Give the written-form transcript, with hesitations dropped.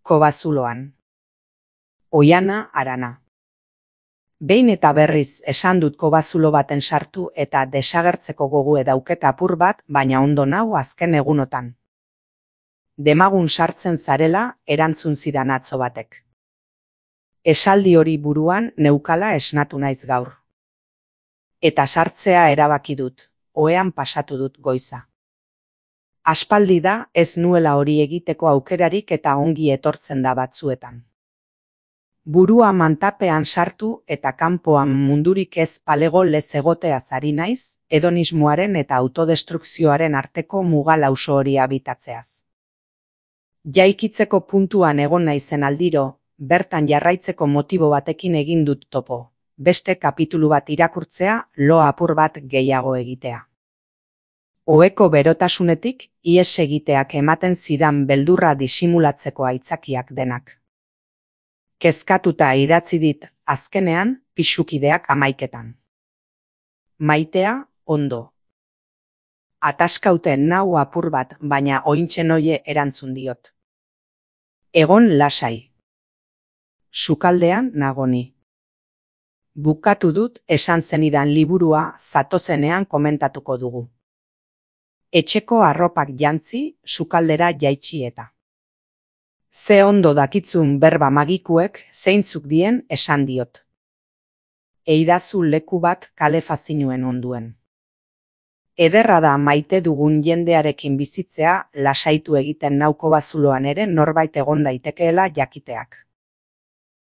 Kobazuloan. Oiana Arana. Behin eta berriz esan dut kobazulo baten sartu eta desagertzeko gogoe dauket apur bat, baina ondo nau azken egunotan. Demagun sartzen zarela erantzun zidan atzo batek. Esaldi hori buruan neukala esnatu naiz gaur. Eta sartzea erabaki dut, ohean pasatu dut goiza. Aspaldi da ez nuela hori egiteko aukerarik eta ongi etortzen da batzuetan. Burua mantapean sartu eta kanpoan mundurik ez palego lez egoteaz ari naiz, hedonismoaren eta autodestrukzioaren arteko muga lauso hori habitatzeaz. Jaikitzeko puntuan egon naizen aldiro, bertan jarraitzeko motibo batekin egin dut topo, beste kapitulu bat irakurtzea, lo apur bat gehiago egitea. Oheko berotasunetik, ihes egiteak ematen zidan beldurra disimulatzeko aitzakiak denak. Kezkatuta idatzi dit, azkenean, pisukideak 11. Maitea, ondo. Ataskauten nau apur bat, baina ointxe noie erantzun diot. Egon lasai. Sukaldean nagoni. Bukatu dut esan zenidan liburua zatozenean komentatuko dugu. Etxeko arropak jantzi, sukaldera jaitsi eta. Ze ondo dakitzun berba magikuek zeintzuk dien esan diot. Eidazu leku bat kalefazinuen onduen. Ederra da maite dugun jendearekin bizitzea lasaitu egiten nau kobazuloan ere norbait egon daitekeela jakiteak.